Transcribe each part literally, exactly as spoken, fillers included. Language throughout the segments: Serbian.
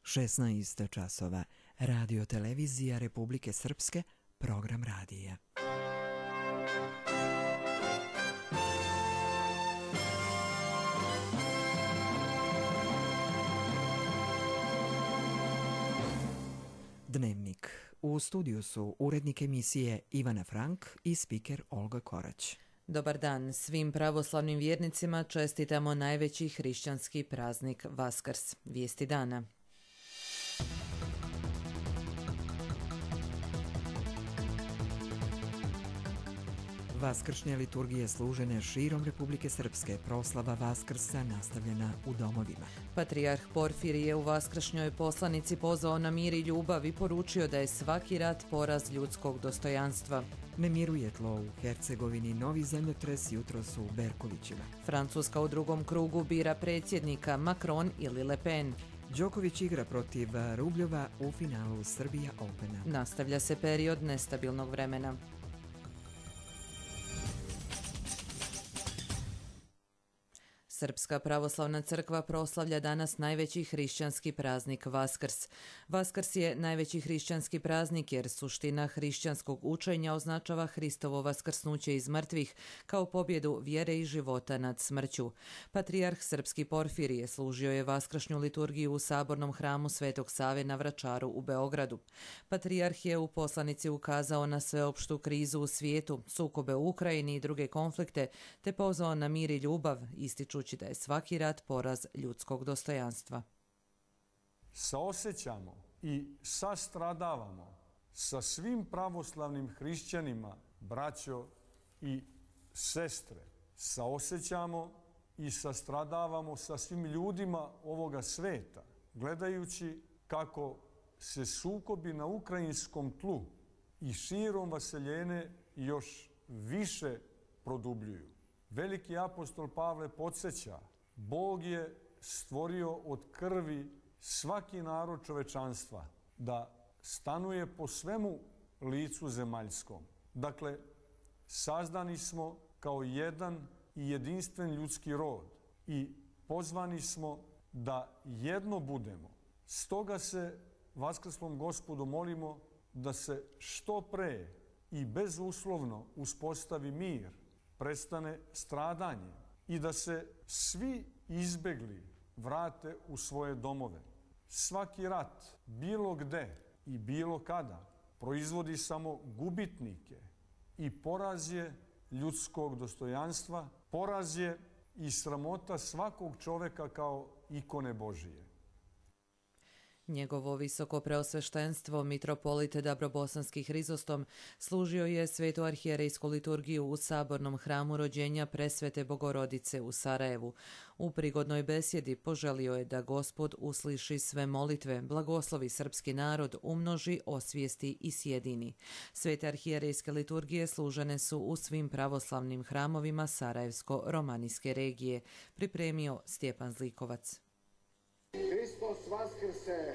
šesnaest časova. Radio televizija Republike Srpske, program radija. Dnevnik. U studiju su urednik emisije Ivana Frank i spiker Olga Korać. Dobar dan. Svim pravoslavnim vjernicima čestitamo najveći hrišćanski praznik Vaskrs. Vijesti dana. Vaskršnje liturgije služene širom Republike Srpske, proslava Vaskrsa nastavljena u domovima. Patrijarh Porfirije u vaskršnjoj poslanici pozvao na mir i ljubav i poručio da je svaki rat poraz ljudskog dostojanstva. Ne miruje tlo u Hercegovini, novi zemljotres jutros u Berkovićima. Francuska u drugom krugu bira predsjednika, Macron ili Le Pen. Đoković igra protiv Rubljova u finalu Srbija Opena. Nastavlja se period nestabilnog vremena. Srpska pravoslavna crkva proslavlja danas najveći hrišćanski praznik Vaskrs. Vaskrs je najveći hrišćanski praznik jer suština hrišćanskog učenja označava Hristovo vaskrsnuće iz mrtvih kao pobjedu vjere i života nad smrću. Patrijarh Srpski Porfirije služio je vaskršnju liturgiju u sabornom hramu Svetog Save na Vračaru u Beogradu. Patrijarh je u poslanici ukazao na sveopštu krizu u svijetu, sukobe u Ukrajini i druge konflikte, te pozvao na mir i ljubav, ističući da je svaki rat poraz ljudskog dostojanstva. Saosećamo i sastradavamo sa svim pravoslavnim hrišćanima, braćo i sestre. Saosećamo i sastradavamo sa svim ljudima ovoga sveta, gledajući kako se sukobi na ukrajinskom tlu i širom vaseljene još više produbljuju. Veliki apostol Pavle podsjeća, Bog je stvorio od krvi svaki narod čovečanstva da stanuje po svemu licu zemaljskom. Dakle, sazdani smo kao jedan i jedinstven ljudski rod i pozvani smo da jedno budemo. Stoga se Vaskrslom Gospodu molimo da se što pre i bezuslovno uspostavi mir, prestane stradanje i da se svi izbegli vrate u svoje domove. Svaki rat, bilo gde i bilo kada, proizvodi samo gubitnike i poraz je ljudskog dostojanstva, poraz je i sramota svakog čoveka kao ikone Božije. Njegovo visoko preosveštenstvo, mitropolit Dabrobosanski Hrizostom, služio je svetu arhijerejsku liturgiju u sabornom hramu rođenja Presvete Bogorodice u Sarajevu. U prigodnoj besjedi poželio je da Gospod usliši sve molitve, blagoslovi srpski narod, umnoži, osvijesti i sjedini. Svete arhijerejske liturgije služene su u svim pravoslavnim hramovima Sarajevsko-romanijske regije, pripremio Stjepan Zlikovac. Hristos Vaskrse!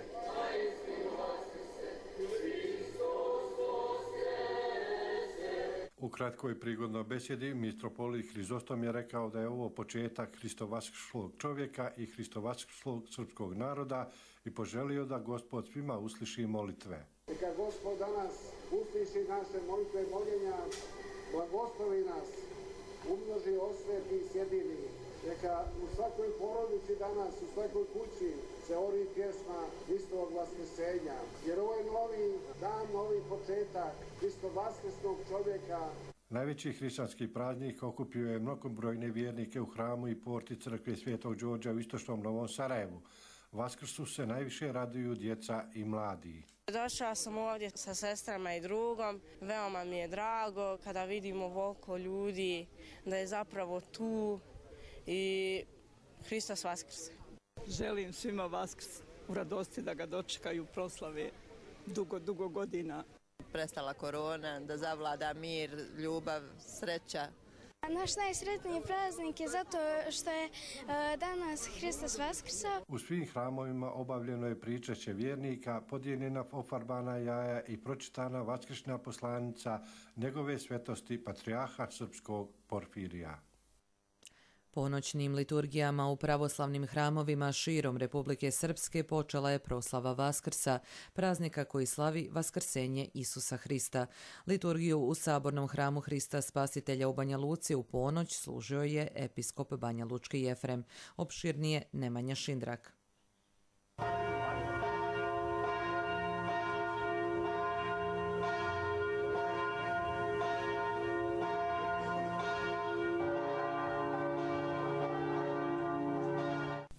U kratkoj prigodnoj besjedi mitropolit Hrizostom je rekao da je ovo početak hristovaskrslog čovjeka i hristovaskrslog srpskog naroda i poželio da Gospod svima usliši molitve. Neka Gospod danas usliši naše molitve i moljenja, blagoslovi nas, umnoži, osveti i sjedini. Neka u svakoj porodici danas, u svakoj kući se ori pjesma Hristovog vaskrsenja. Jer ovo je novi dan, novi početak Hristovaskrskog čovjeka. Najveći hrišćanski praznik okupio je mnogobrojne vjernike u hramu i porti crkve Svetog Đorđa u istočnom Novom Sarajevu. Vaskrsu se najviše raduju djeca i mladi. Došla sam ovdje sa sestrama i drugom. Veoma mi je drago kada vidimo ovoliko ljudi da je zapravo tu i Hristos Vaskrse. Želim svima Vaskrs u radosti da ga dočekaju proslave dugo, dugo godina. Prestala korona, da zavlada mir, ljubav, sreća. Naš najsretniji praznik je zato što je danas Hristos Vaskrsa. U svim hramovima obavljeno je pričašće vjernika, podijeljena ofarbana jaja i pročitana vaskršnja poslanica njegove svetosti patrijarha Srpskog Porfirija. Ponoćnim liturgijama u pravoslavnim hramovima širom Republike Srpske počela je proslava Vaskrsa, praznika koji slavi vaskrsenje Isusa Hrista. Liturgiju u Sabornom hramu Hrista Spasitelja u Banja Luci u ponoć služio je episkop Banja Lučki Jefrem, opširnije Nemanja Šindrak.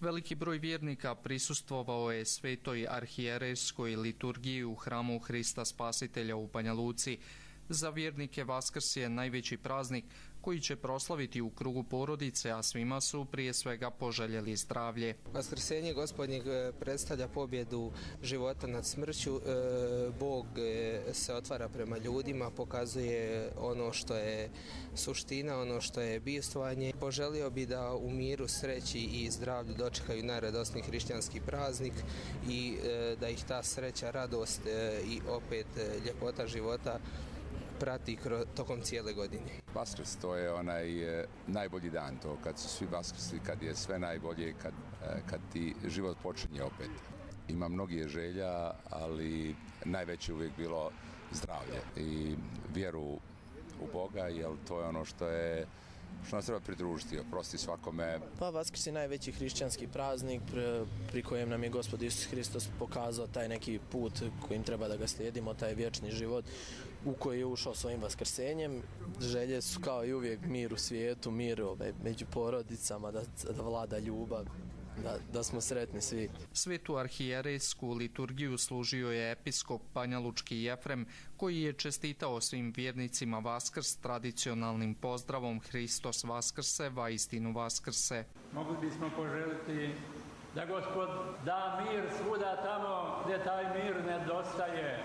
Veliki broj vjernika prisustvovao je svetoj arhijerejskoj liturgiji u hramu Hrista Spasitelja u Banja Luci. Za vjernike Vaskrs je najveći praznik koji će proslaviti u krugu porodice, a svima su prije svega poželjeli zdravlje. Vaskrsenje Gospodnjeg predstavlja pobjedu života nad smrću. Bog se otvara prema ljudima, pokazuje ono što je suština, ono što je bivstvovanje. Poželio bi da u miru, sreći i zdravlju dočekaju najradosniji hrišćanski praznik i da ih ta sreća, radost i opet ljepota života prati tokom cijele godine. Vaskrs, to je onaj e, najbolji dan, to kad su svi vaskrsi, kad je sve najbolje, kad, e, kad ti život počinje opet. Ima mnogih želja, ali najveće uvijek bilo zdravlje i vjeru u Boga, jer to je ono što je što nas treba pridružiti, oprosti svakome. Pa Vaskrs je najveći hrišćanski praznik pri kojem nam je Gospod Isus Hristos pokazao taj neki put kojim treba da ga slijedimo, taj vječni život u koji je ušao svojim vaskrsenjem. Želje su kao i uvijek mir u svijetu, mir ovaj, među porodicama, da, da vlada ljubav. Da, da smo sretni svi. Svetu arhijerejsku liturgiju služio je episkop Banja Lučki Jefrem, koji je čestitao svim vjernicima Vaskrs tradicionalnim pozdravom Hristos Vaskrse, vaistinu Vaskrse. Mogli bismo poželiti da Gospod da mir svuda tamo gdje taj mir nedostaje,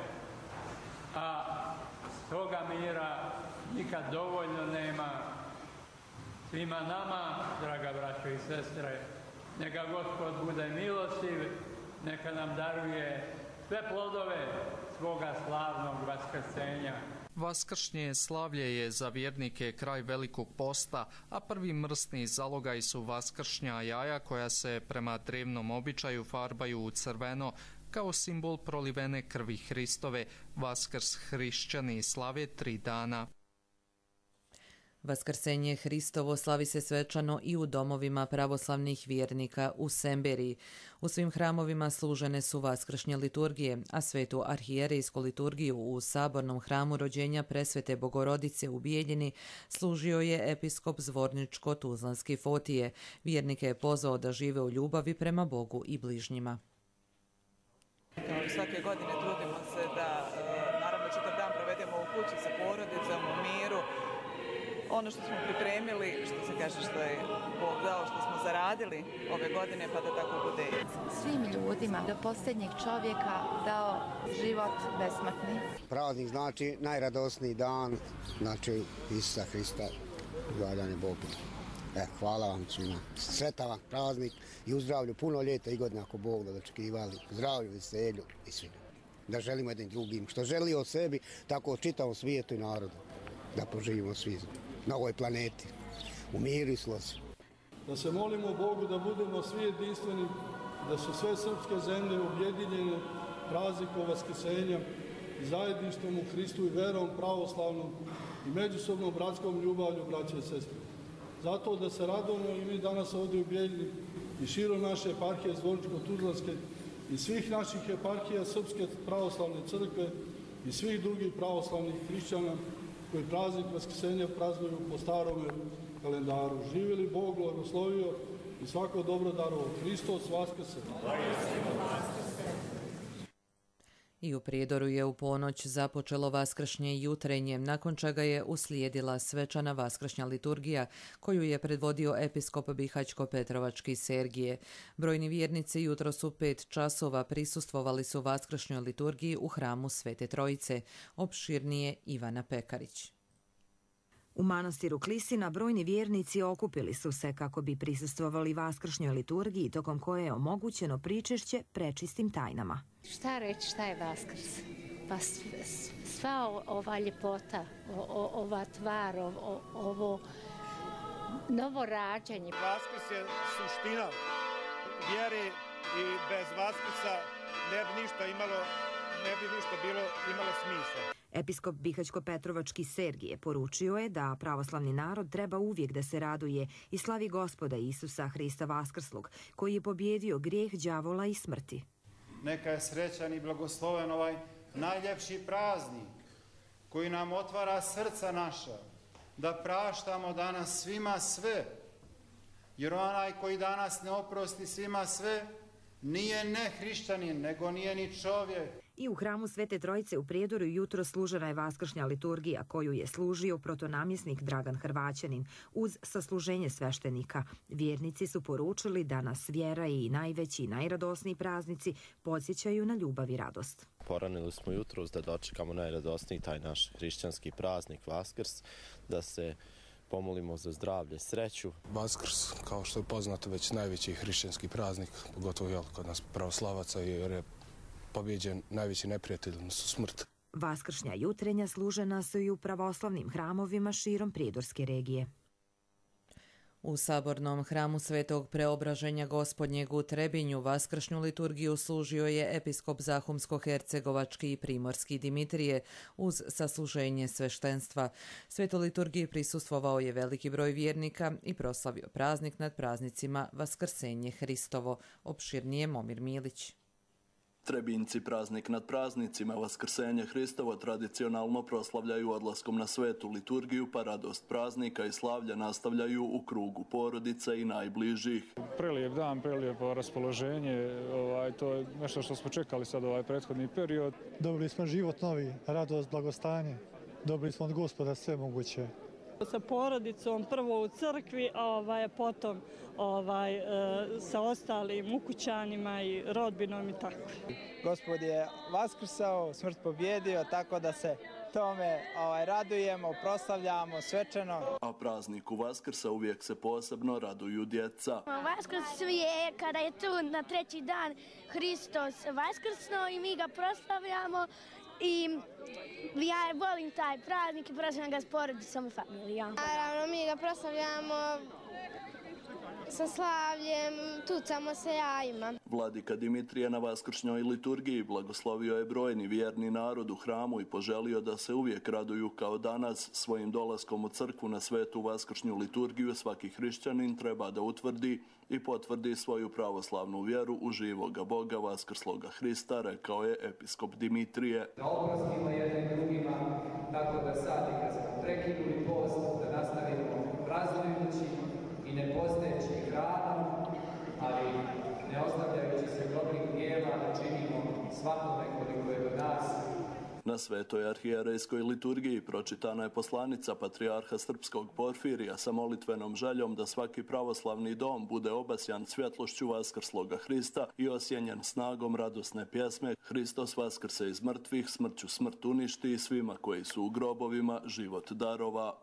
a toga mira nikad dovoljno nema. Svima nama, draga braćo i sestre, neka Gospod bude milostiv, neka nam daruje sve plodove svoga slavnog vaskrsenja. Vaskršnje slavlje je za vjernike kraj Velikog posta, a prvi mrsni zalogaj su vaskršnja jaja koja se prema drevnom običaju farbaju u crveno kao simbol prolivene krvi Hristove. Vaskrs hrišćani slave tri dana. Vaskrsenje Hristovo slavi se svečano i u domovima pravoslavnih vjernika u Semberiji. U svim hramovima služene su vaskršnje liturgije, a svetu arhijerejsku liturgiju u Sabornom hramu rođenja Presvete Bogorodice u Bijeljini služio je episkop Zvorničko-Tuzlanski Fotije. Vjernike je pozvao da žive u ljubavi prema Bogu i bližnjima. Kao i svake godine trudimo se da naravno čitav dan provedemo u kući sa porodicom, u miru. Ono što smo pripremili, što se kaže što je Bog dao, što smo zaradili ove godine, pa da tako bude. Svim ljudima do posljednjeg čovjeka dao život besmrtni. Praznik znači najradosniji dan, znači Isusa Hrista, gledanje Bogu. E, hvala vam svima. Sretan vam praznik i u zdravlju puno ljeta i godina ako Bog da dočekivali. Zdravlju, veselju i svima. Da želimo jednim drugim. Što želi od sebi, tako od čitavom svijetu i narodu. Da poživimo svi na ovoj planeti, u miru i slozi. Da se molimo Bogu da budemo svi jedinstveni, da su sve srpske zemlje objedinjene praznikom vaskrsenja, zajedništvom u Hristu i verom pravoslavnom i međusobnom bratskom ljubavlju braće i sestre. Zato da se radujemo i mi danas ovdje u Bijeljini i širom naše eparhije Zvorničko-Tuzlanske i svih naših eparhija Srpske pravoslavne crkve i svih drugih pravoslavnih hrišćana koji praznik vaskrsenja praznuju po starome kalendaru. Živjeli Bog, blagoslovio i svako dobro darovo. Hristos Vaskrse! I u Prijedoru je u ponoć započelo vaskršnje jutrenje, nakon čega je uslijedila svečana vaskršnja liturgija koju je predvodio episkop Bihaćko-Petrovački Sergije. Brojni vjernici jutros u pet časova prisustvovali su vaskršnjoj liturgiji u hramu Svete Trojice. Opširnije Ivana Pekarić. U manastiru Klisina brojni vjernici okupili su se kako bi prisustvovali vaskršnjoj liturgiji tokom koje je omogućeno pričešće prečistim tajnama. Šta reći, šta je Vaskrs? Pa sva ova ljepota, ova tvar, ovo novo rađanje. Vaskrs je suština vjere i bez Vaskrsa ne bi ništa imalo, ne bi ništa bilo imalo smisla. Episkop Bihaćko-Petrovački Sergije poručio je da pravoslavni narod treba uvijek da se raduje i slavi Gospoda Isusa Hrista Vaskrslog, koji je pobjedio grijeh, đavola i smrti. Neka je srećan i blagosloven ovaj najljepši praznik koji nam otvara srca naša, da praštamo danas svima sve, jer onaj koji danas ne oprosti svima sve, nije ne hrišćanin, nego nije ni čovjek. I u hramu Svete Trojice u Prijedoru jutro služena je vaskršnja liturgija koju je služio protonamjesnik Dragan Hrvaćanin uz sasluženje sveštenika. Vjernici su poručili da nas vjera i najveći i najradosniji praznici podsjećaju na ljubav i radost. Poranili smo jutros da dočekamo najradosniji taj naš hrišćanski praznik Vaskrs, da se pomolimo za zdravlje, sreću. Vaskrs, kao što je poznato, već najveći hrišćanski praznik, pogotovo jel, kod nas pravoslavaca, jer je pobjeđen najveći neprijatelj, odnosno smrt. Vaskršnja jutrenja služena su i u pravoslavnim hramovima širom Prijedorske regije. U sabornom hramu Svetog Preobraženja Gospodnjeg u Trebinju vaskršnju liturgiju služio je episkop Zahumsko-Hercegovački i Primorski Dimitrije uz sasluženje sveštenstva. Svetoj liturgiji prisustvovao je veliki broj vjernika i proslavio praznik nad praznicima Vaskrsenje Hristovo. Opširnije Momir Milić. Trebinjci praznik nad praznicima Vaskrsenje Hristovo tradicionalno proslavljaju odlaskom na svetu liturgiju, pa radost praznika i slavlja nastavljaju u krugu porodice i najbližih. Prelijep dan, prelijepo raspoloženje, ovaj, to je nešto što smo čekali sad ovaj prethodni period. Dobili smo život novi, radost, blagostanje, dobili smo od Gospoda sve moguće. Sa porodicom prvo u crkvi, a ovaj, potom ovaj, sa ostalim ukućanima i rodbinom i tako. Gospod je vaskrsao, smrt pobjedio, tako da se tome ovaj, radujemo, proslavljamo svečano. A prazniku Vaskrsa uvijek se posebno raduju djeca. Vaskrs je kada je tu na treći dan Hristos vaskrsno i mi ga proslavljamo. I ja volim taj praznik i proslavljam ga s porodicom i familijom. Naravno, mi ga proslavljamo sa slavljem, tucamo se jajima. Vladika Dimitrije na vaskršnjoj liturgiji blagoslovio je brojni vjerni narod u hramu i poželio da se uvijek raduju kao danas. Svojim dolaskom u crkvu na svetu vaskršnju liturgiju svaki hrišćanin treba da utvrdi i potvrdi svoju pravoslavnu vjeru u živoga Boga vaskrsloga Hrista, rekao je episkop Dimitrije. Da oprostimo jednim drugima, tako da sad i kad smo prekinuli post, da nastavimo praznujući i ne postajeći hranom, ali ne ostavljajući se dobrih djela, da činimo svakome koliko je do nas. Na svetoj arhijerejskoj liturgiji pročitana je poslanica patrijarha srpskog Porfirija sa molitvenom željom da svaki pravoslavni dom bude obasjan svjetlošću vaskrsloga Hrista i osjenjen snagom radosne pjesme Hristos vaskrse iz mrtvih, smrću smrt uništi i svima koji su u grobovima život darova.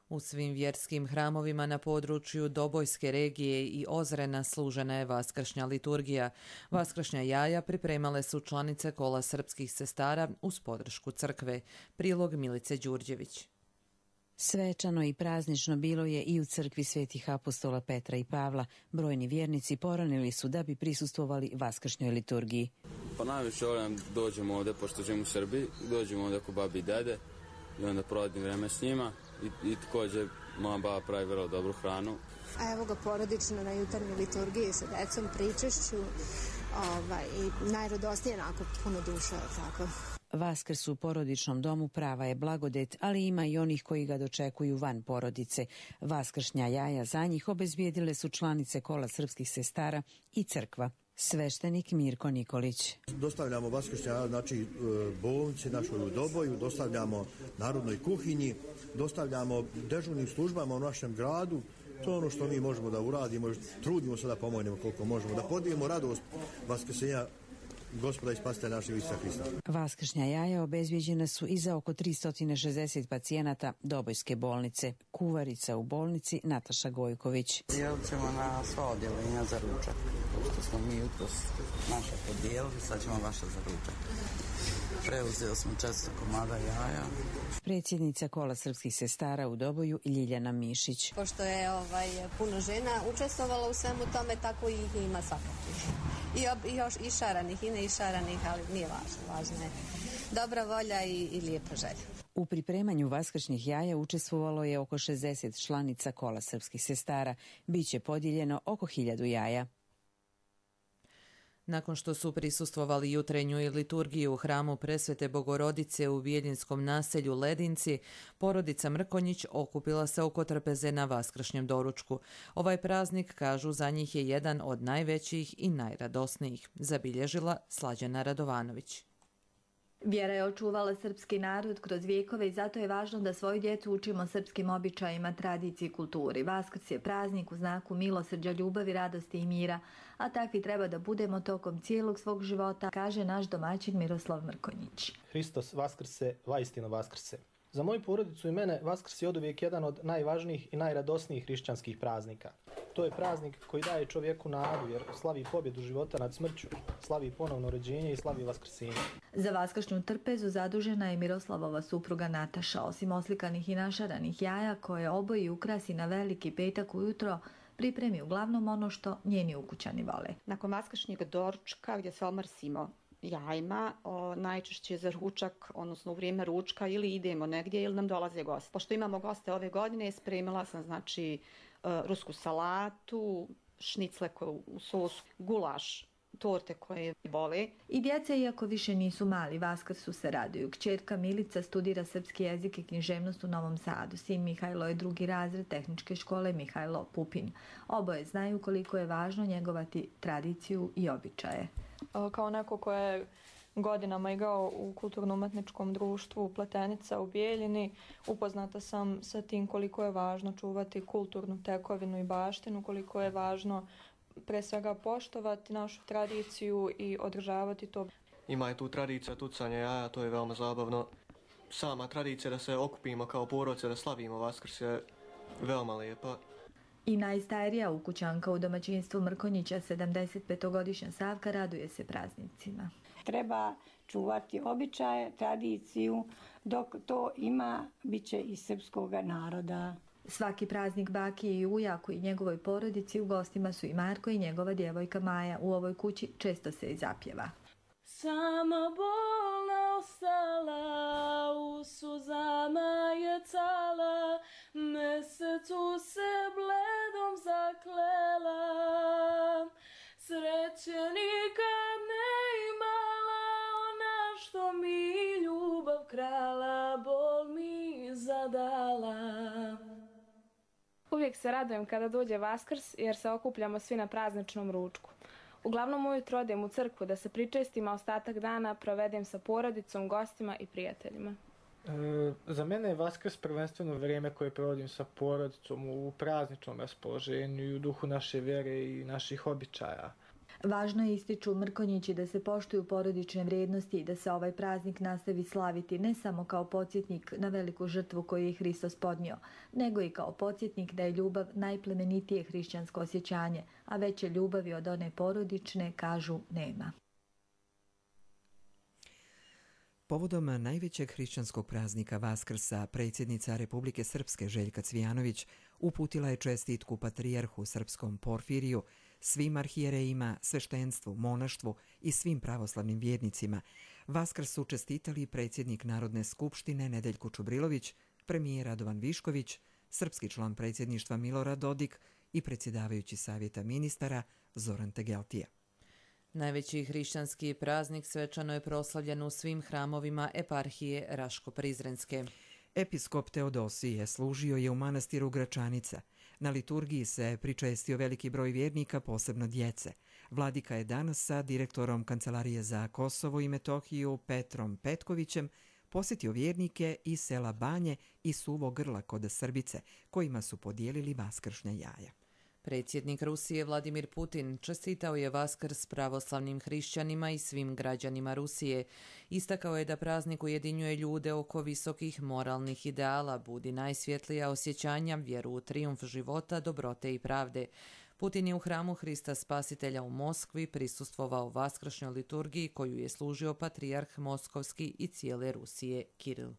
U svim vjerskim hramovima na području Dobojske regije i Ozrena služena je vaskršnja liturgija. Vaskršnja jaja pripremale su članice kola srpskih sestara uz podršku crkve. Prilog Milice Đurđević. Svečano i praznično bilo je i u crkvi svetih apostola Petra i Pavla. Brojni vjernici poranili su da bi prisustvovali vaskršnjoj liturgiji. Pa najviše volim dođemo ovdje, pošto živim u Srbiji, dođemo ovdje kod babi i dede i onda provodim vreme s njima. I, i također moja baba pravi vrlo dobru hranu. A evo ga porodično na jutarnjoj liturgiji sa decom, pričešću ovaj, i najradosnije onako puno duša. Tako. Vaskrs u porodičnom domu prava je blagodet, ali ima i onih koji ga dočekuju van porodice. Vaskršnja jaja za njih obezbijedile su članice kola srpskih sestara i crkva. Sveštenik Mirko Nikolić. Dostavljamo vaskršnja, znači bolnici našoj u Doboju, dostavljamo narodnoj kuhinji, dostavljamo dežurnim službama u našem gradu. To je ono što mi možemo da uradimo, trudimo se da pomognemo koliko možemo, da podijelimo radost vaskrsenja Gospoda i spasitelja našeg Isusa Hrista. Vaskršnja jaja obezbijeđena su i za oko tristo šezdeset pacijenata Dobojske bolnice. Kuvarica u bolnici Nataša Gojković. Dijelit ćemo na sva odjeljenja za ručak. Što smo mi jutros naša podijelili, sad ćemo vaša za ručak. Preuzeo smo četiristo komada jaja. Predsjednica Kola srpskih sestara u Doboju Ljiljana Mišić. Pošto je ovaj, puno žena učestvovalo u svemu tome, tako ih ima svakakih. I, ob, i još i šaranih, i ne i šaranih, ali nije važno. Važno je dobra volja i, i lijepa želja. U pripremanju vaskršnjih jaja učestvovalo je oko šezdeset članica Kola srpskih sestara. Biće podijeljeno oko hiljadu jaja. Nakon što su prisustvovali jutrenju liturgiju u hramu Presvete Bogorodice u Biljinskom naselju Ledinci, porodica Mrkonjić okupila se oko trpeze na vaskršnjem doručku. Ovaj praznik, kažu, za njih je jedan od najvećih i najradosnijih, zabilježila Slađana Radovanović. Vjera je očuvala srpski narod kroz vijekove i zato je važno da svoju djecu učimo srpskim običajima, tradiciji i kulturi. Vaskrs je praznik u znaku milosrđa, ljubavi, radosti i mira, a takvi treba da budemo tokom cijelog svog života, kaže naš domaćin Miroslav Mrkonjić. Hristos vaskrse, vaistinu vaskrse. Za moju porodicu i mene Vaskrs je oduvijek jedan od najvažnijih i najradosnijih hrišćanskih praznika. To je praznik koji daje čovjeku nadu jer slavi pobjedu života nad smrću, slavi ponovno rođenje i slavi vaskrsenje. Za vaskršnju trpezu zadužena je Miroslavova supruga Nataša. Osim oslikanih i našaranih jaja koje oboji ukrasi na veliki petak ujutro, pripremi uglavnom ono što njeni ukućani vole. Nakon vaskršnjeg doručka gdje se omrsimo jajima, o, najčešće za ručak, odnosno u vrijeme ručka, ili idemo negdje ili nam dolaze gosti. Pošto imamo goste ove godine, spremila sam znači rusku salatu, šnicle u sosu, gulaš, torte koje vole. I djeca, iako više nisu mali, Vaskrsu se raduju. Kćerka Milica studira srpski jezik i književnost u Novom Sadu. Sin Mihajlo je drugi razred tehničke škole Mihajlo Pupin. Oboje znaju koliko je važno njegovati tradiciju i običaje. Kao neko ko je godinama igrao u kulturno-umetničkom društvu Pletenica u Bijeljini, upoznata sam sa tim koliko je važno čuvati kulturnu tekovinu i baštinu, koliko je važno pre svega poštovati našu tradiciju i održavati to. Ima je tu tradicija tucanja jaja, to je veoma zabavno. Sama tradicija da se okupimo kao porodica, da slavimo Vaskrs je veoma lijepa. I najstarija ukućanka u domaćinstvu Mrkonjića, sedamdesetpetogodišnja Savka, raduje se praznicima. Treba čuvati običaje, tradiciju, dok to ima, bit će i srpskog naroda. Svaki praznik baki i ujaku i njegovoj porodici u gostima su i Marko i njegova djevojka Maja. U ovoj kući često se i zapjeva. Sama bolna ostala, u suzama je cala, mesecu se bledom zaklela. Sreće nikad ne imala, ona što mi ljubav krala, bol mi zadala. Uvijek se radujem kada dođe Vaskrs jer se okupljamo svi na prazničnom ručku. Uglavnom ujutro odem u crkvu da se pričestim, a ostatak dana provedem sa porodicom, gostima i prijateljima. E, za mene je Vaskrs prvenstveno vrijeme koje provodim sa porodicom u prazničnom raspoloženju i u duhu naše vjere i naših običaja. Važno je, ističu Mrkonjići, da se poštuju porodične vrijednosti i da se ovaj praznik nastavi slaviti ne samo kao podsjetnik na veliku žrtvu koju je Hristos podnio, nego i kao podsjetnik da je ljubav najplemenitije hrišćansko osjećanje, a veće ljubavi od one porodične, kažu, nema. Povodom najvećeg hrišćanskog praznika Vaskrsa, predsjednica Republike Srpske Željka Cvijanović uputila je čestitku patrijarhu srpskom Porfiriju, svim arhijerejima, sveštenstvu, monaštvu i svim pravoslavnim vjernicima. Vaskrs su čestitali predsjednik Narodne skupštine Nedeljko Čubrilović, premijer Radovan Višković, srpski član predsjedništva Milorad Dodik i predsjedavajući savjeta ministara Zoran Tegeltija. Najveći hrišćanski praznik svečano je proslavljen u svim hramovima eparhije Raško-Prizrenske. Episkop Teodosije služio je u manastiru Gračanica. Na liturgiji se pričestio veliki broj vjernika, posebno djece. Vladika je danas sa direktorom Kancelarije za Kosovo i Metohiju Petrom Petkovićem posjetio vjernike iz sela Banje i Suvo Grla kod Srbice, kojima su podijelili vaskršnja jaja. Predsjednik Rusije Vladimir Putin čestitao je Vaskrs pravoslavnim hrišćanima i svim građanima Rusije. Istakao je da praznik ujedinjuje ljude oko visokih moralnih ideala, budi najsvjetlija osjećanja, vjeru u trijumf života, dobrote i pravde. Putin je u hramu Hrista Spasitelja u Moskvi prisustvovao vaskršnjoj liturgiji koju je služio patrijarh Moskovski i cijele Rusije Kiril.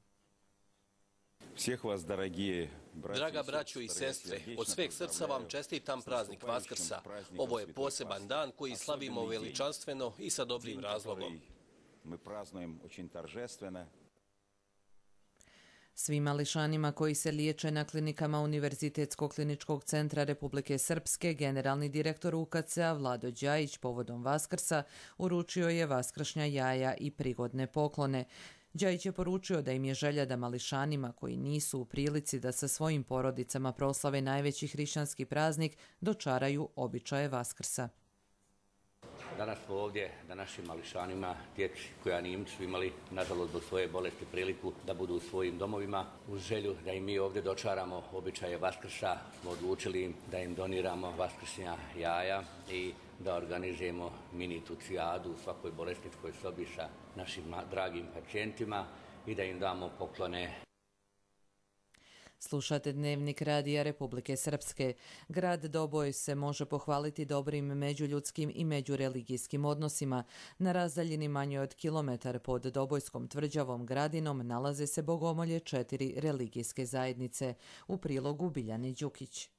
Draga braćo i sestre, od sveg srca vam čestitam praznik Vaskrsa. Ovo je poseban dan koji slavimo veličanstveno i sa dobrim razlogom. Svim mališanima koji se liječe na klinikama Univerzitetskog kliničkog centra Republike Srpske, generalni direktor U K C-a Vlado Đajić povodom Vaskrsa uručio je vaskršnja jaja i prigodne poklone. Đajić je poručio da im je želja da mališanima koji nisu u prilici da sa svojim porodicama proslave najveći hrišćanski praznik dočaraju običaje Vaskrsa. Danas smo ovdje da našim mališanima, djeci koja nisu imali, nažalost zbog svoje bolesti, priliku da budu u svojim domovima, uz želju da im mi ovdje dočaramo običaje Vaskrsa, smo odlučili im da im doniramo vaskršnja jaja i da organizujemo mini tucijadu u svakoj bolesničkoj sobi sa našim dragim pacijentima i da im damo poklone. Slušate Dnevnik Radija Republike Srpske. Grad Doboj se može pohvaliti dobrim međuljudskim i međureligijskim odnosima. Na razdaljini manje od kilometar pod Dobojskom tvrđavom Gradinom nalaze se bogomolje četiri religijske zajednice. U prilogu Biljani Đukić.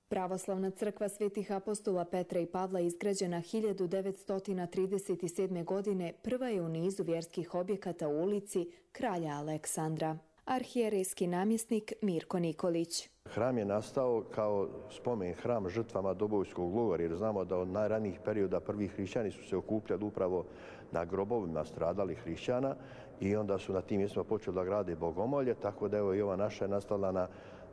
Pravoslavna crkva Svetih apostola Petra i Pavla izgrađena hiljadu devetsto trideset sedme. godine prva je u nizu vjerskih objekata u ulici Kralja Aleksandra. Arhijerejski namjesnik Mirko Nikolić. Hram je nastao kao spomen hram žrtvama Dobojskog logora, jer znamo da od najranijih perioda prvi hrišćani su se okupljali upravo na grobovima stradalih hrišćana i onda su na tim mjestima počeli da grade bogomolje, tako da evo i ova naša je nastala na,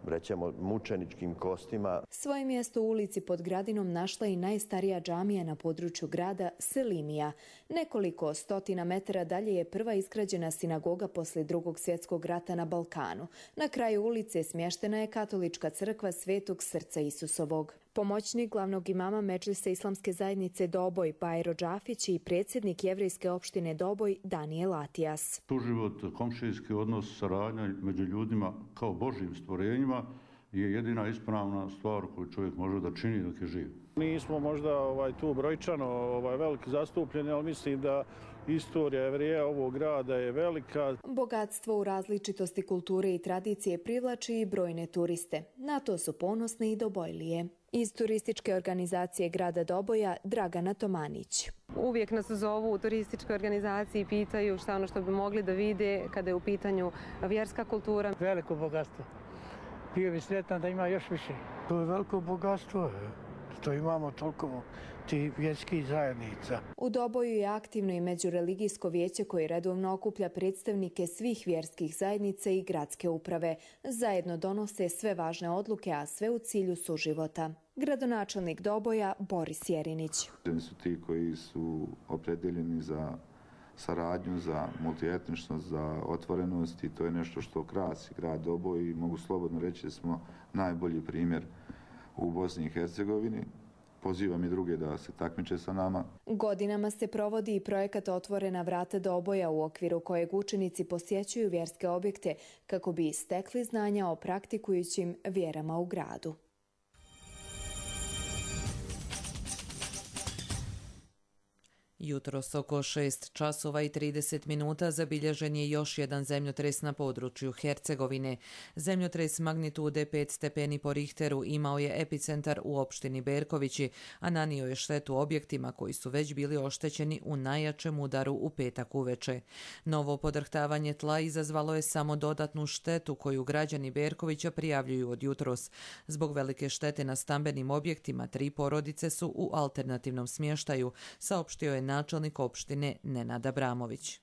rećemo, mučeničkim kostima. Svoje mjesto u ulici pod Gradinom našla i najstarija džamija na području grada, Selimija. Nekoliko stotina metara dalje je prva izgrađena sinagoga poslije drugog svjetskog rata na Balkanu. Na kraju ulice smještena je katolička crkva Svetog srca Isusovog. Pomoćnik glavnog imama Medžlisa Islamske zajednice Doboj, Bajro Džafić i predsjednik jevrejske opštine Doboj, Danijel Atijas. Suživot, komšijski odnos, saradnja među ljudima kao Božjim stvorenjima je jedina ispravna stvar koju čovjek može da čini dok je živ. Nismo možda ovaj, tu brojčano ovaj, veliki zastupljeni, ali mislim da istorija Jevreja ovog grada je velika. Bogatstvo u različitosti kulture i tradicije privlači i brojne turiste. Na to su ponosne i Dobojlije. Iz turističke organizacije grada Doboja, Dragana Tomanić. Uvijek nas zovu u turističkoj organizaciji i pitaju šta ono što bi mogli da vide kada je u pitanju vjerska kultura. Veliko bogatstvo. Bio bi sretan da ima još više. To je veliko bogatstvo. To imamo toliko ti vjerskih zajednica. U Doboju je aktivno i međureligijsko vijeće koje redovno okuplja predstavnike svih vjerskih zajednica i gradske uprave. Zajedno donose sve važne odluke, a sve u cilju suživota. Gradonačelnik Doboja Boris Jerinić. Oni su ti koji su opredeljeni za saradnju, za multietničnost, za otvorenost i to je nešto što krasi grad Doboj i mogu slobodno reći da smo najbolji primjer u Bosni i Hercegovini. Pozivam i druge da se takmiče sa nama. Godinama se provodi i projekat Otvorena vrata Doboja u okviru kojeg učenici posjećuju vjerske objekte kako bi stekli znanja o praktikujućim vjerama u gradu. Jutros oko šest časova i trideset minuta zabilježen je još jedan zemljotres na području Hercegovine. Zemljotres magnitude pet stepeni po Richteru imao je epicentar u opštini Berkovići, a nanio je štetu objektima koji su već bili oštećeni u najjačem udaru u petak uveče. Novo podrhtavanje tla izazvalo je samo dodatnu štetu koju građani Berkovića prijavljuju od jutros. Zbog velike štete na stambenim objektima tri porodice su u alternativnom smještaju, saopštio je načelnik opštine Nenad Abramović.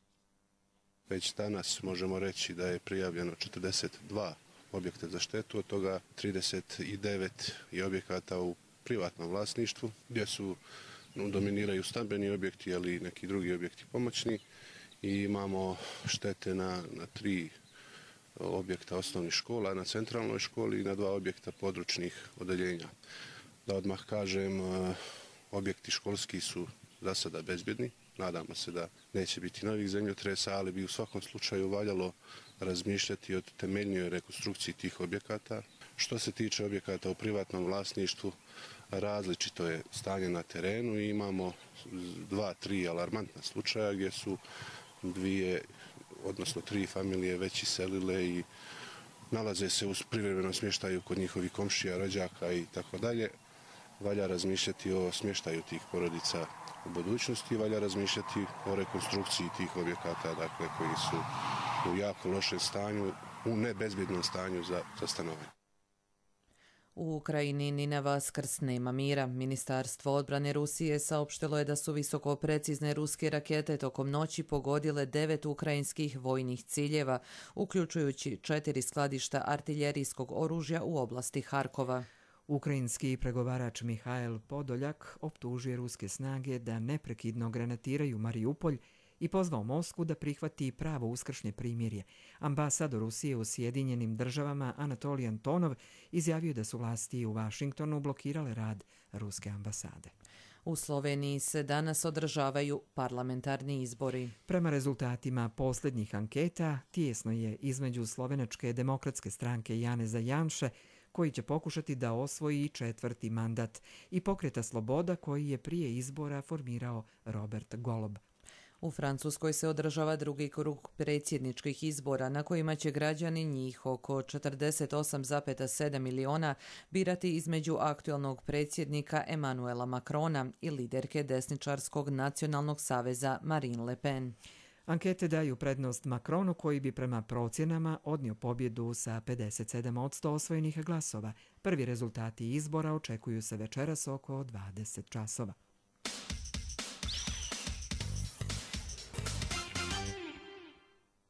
Već danas možemo reći da je prijavljeno četrdeset dva objekta za štetu, od toga trideset devet je objekata u privatnom vlasništvu, gdje su dominiraju stambeni objekti, ali i neki drugi objekti pomoćni. I imamo štete na, na tri objekta osnovnih škola, na centralnoj školi i na dva objekta područnih odeljenja. Da odmah kažem, objekti školski su za sada bezbjedni. Nadamo se da neće biti novih zemljotresa, ali bi u svakom slučaju valjalo razmišljati o temeljnijoj rekonstrukciji tih objekata. Što se tiče objekata u privatnom vlasništvu, različito je stanje na terenu i imamo dva, tri alarmantna slučaja gdje su dvije, odnosno tri familije već iselile i nalaze se u privremenom smještaju kod njihovih komšija, rođaka i tako dalje. Valja razmišljati o smještaju tih porodica u budućnosti, valja razmišljati o rekonstrukciji tih objekata, dakle, koji su u jako lošem stanju, u nebezbjednom stanju za, za stanovanje. U Ukrajini ni na Vaskrs nema mira. Ministarstvo odbrane Rusije saopštilo je da su visoko precizne ruske rakete tokom noći pogodile devet ukrajinskih vojnih ciljeva, uključujući četiri skladišta artiljerijskog oružja u oblasti Harkova. Ukrajinski pregovarač Mihail Podoljak optužuje ruske snage da neprekidno granatiraju Mariupolj i pozvao Moskvu da prihvati pravo uskršnje primirje. Ambasador Rusije u Sjedinjenim državama Anatolij Antonov izjavio da su vlasti u Vašingtonu blokirale rad ruske ambasade. U Sloveniji se danas održavaju parlamentarni izbori. Prema rezultatima posljednjih anketa, tijesno je između Slovenačke demokratske stranke Janeza Janše, koji će pokušati da osvoji četvrti mandat, i Pokreta Sloboda, koji je prije izbora formirao Robert Golob. U Francuskoj se održava drugi krug predsjedničkih izbora na kojima će građani, njih oko četrdeset osam zarez sedam miliona, birati između aktualnog predsjednika Emmanuela Macrona i liderke desničarskog nacionalnog saveza Marine Le Pen. Ankete daju prednost Macronu, koji bi prema procjenama odnio pobjedu sa pedeset sedam posto osvojenih glasova. Prvi rezultati izbora očekuju se večeras oko dvadeset časova.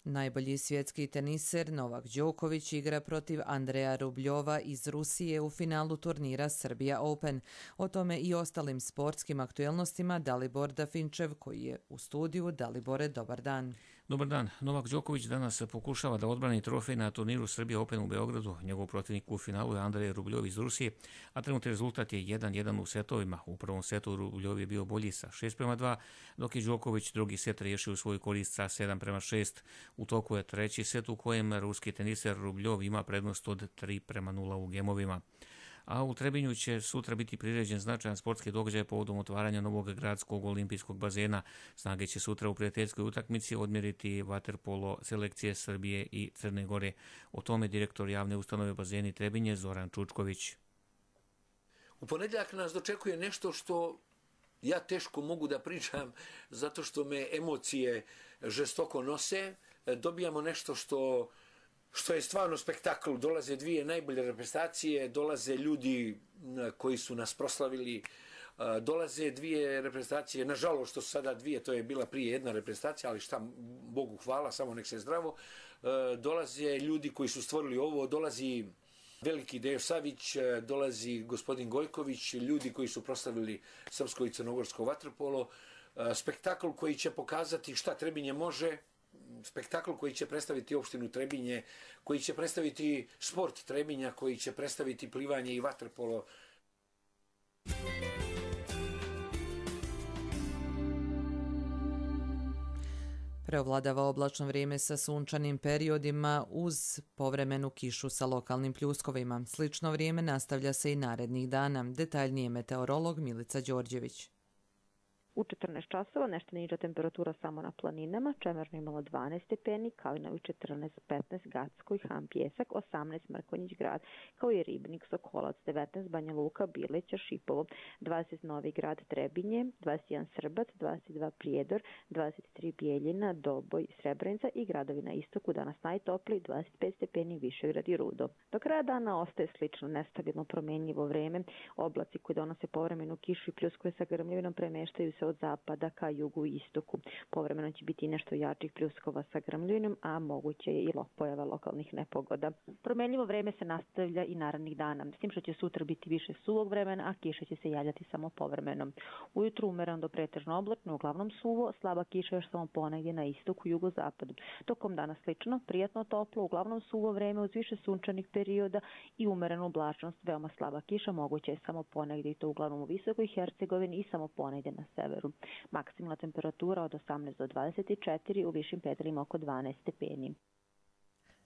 Najbolji svjetski teniser Novak Đoković igra protiv Andreja Rubljova iz Rusije u finalu turnira Serbia Open. O tome i ostalim sportskim aktuelnostima Dalibor Dafinčev, koji je u studiju. Dalibore, dobar dan. Dobar dan. Novak Đoković danas pokušava da odbrani trofej na turniru Serbia Open u Beogradu. Njegov protivnik u finalu je Andrej Rubljov iz Rusije, a trenutni rezultat je jedan jedan u setovima. U prvom setu Rubljov je bio bolji sa šest prema dva, dok je Đoković drugi set riješio u svoju korist sa sedam prema šest. U toku je treći set u kojem ruski teniser Rubljov ima prednost od tri prema nula u gemovima. A u Trebinju će sutra biti priređen značajan sportski događaj povodom otvaranja novog gradskog olimpijskog bazena. Snage će sutra u prijateljskoj utakmici odmjeriti vaterpolo selekcije Srbije i Crne Gore. O tome direktor javne ustanove bazeni Trebinje Zoran Čučković. U ponedjeljak nas dočekuje nešto što ja teško mogu da pričam zato što me emocije žestoko nose. Dobijamo nešto što... što je stvarno spektakl. Dolaze dvije najbolje reprezentacije, dolaze ljudi koji su nas proslavili, dolaze dvije reprezentacije, nažalost što su sada dvije, to je bila prije jedna reprezentacija, ali šta, Bogu hvala, samo nek se zdravo. Dolaze ljudi koji su stvorili ovo, dolazi veliki Dejo Savić, dolazi gospodin Gojković, ljudi koji su proslavili srpsko i crnogorsko vaterpolo. Spektakl koji će pokazati šta Trebinje može, spektakl koji će predstaviti opštinu Trebinje, koji će predstaviti sport Trebinja, koji će predstaviti plivanje i vaterpolo. Preovladava oblačno vrijeme sa sunčanim periodima uz povremenu kišu sa lokalnim pljuskovima. Slično vrijeme nastavlja se i narednih dana. Detaljnije meteorolog Milica Đorđević. U četrnaest časova nešto niža temperatura samo na planinama, Čemerno imalo dvanaest stepeni, Kalinović četrnaest, petnaest, Gacko i Han Pjesak, osamnaest, Mrkonjić grad, kao i Ribnik, Sokolac, devetnaest, Banja Luka, Bileća, Šipovo, dvadeset, Novi grad, Trebinje, dvadeset jedan, Srbac, dvadeset dva, Prijedor, dvadeset tri, Bijeljina, Doboj, Srebrenica i gradovi na istoku, danas najtopli, dvadeset pet stepeni, Višegrad i Rudo. Do kraja dana ostaje slično nestabilno promjenjivo vreme, oblaci koji donose povremenu kišu i pljuskove sa grmljavinom premeštaju se se od zapada ka jugu i istoku. Povremeno će biti nešto jačih pljuskova sa grmljinom, a moguće je i pojava lokalnih nepogoda. Promenljivo vreme se nastavlja i narednih dana, s tim što će sutra biti više suvog vremena, a kiša će se javljati samo povremeno. Ujutru umereno do pretežno oblačno, uglavnom suvo, slaba kiša još samo ponegdje na istoku, jugozapadu. Tokom dana slično, prijatno toplo, uglavnom suvo vreme uz više sunčanih perioda i umerenu oblačnost, veoma slaba kiša, moguće je samo ponegdje i to uglavnom u Visokoj Hercegovini i samo ponegdje na severu. Maksimalna temperatura od osamnaest do dvadeset četiri, u višim predjelima oko dvanaest stepeni.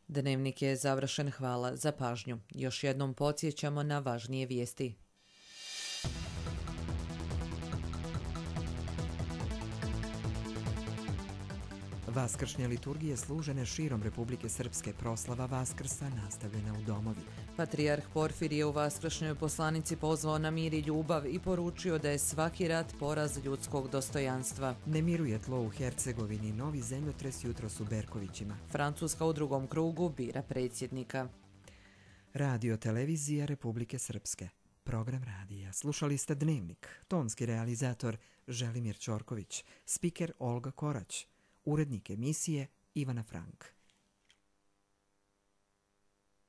Dnevnik je završen, hvala za pažnju. Još jednom podsjećamo na važnije vijesti. Vaskršnje liturgije služene širom Republike Srpske, proslava Vaskrsa nastavljena u domovi. Patrijarh Porfirije u vaskršnjoj poslanici pozvao na mir i ljubav i poručio da je svaki rat poraz ljudskog dostojanstva. Ne miruje tlo u Hercegovini, novi zemljotres jutros u Berkovićima. Francuska u drugom krugu bira predsjednika. Radio televizija Republike Srpske. Program radija. Slušali ste Dnevnik. Tonski realizator Želimir Ćorković. Spiker Olga Korać. Urednik emisije Ivana Frank.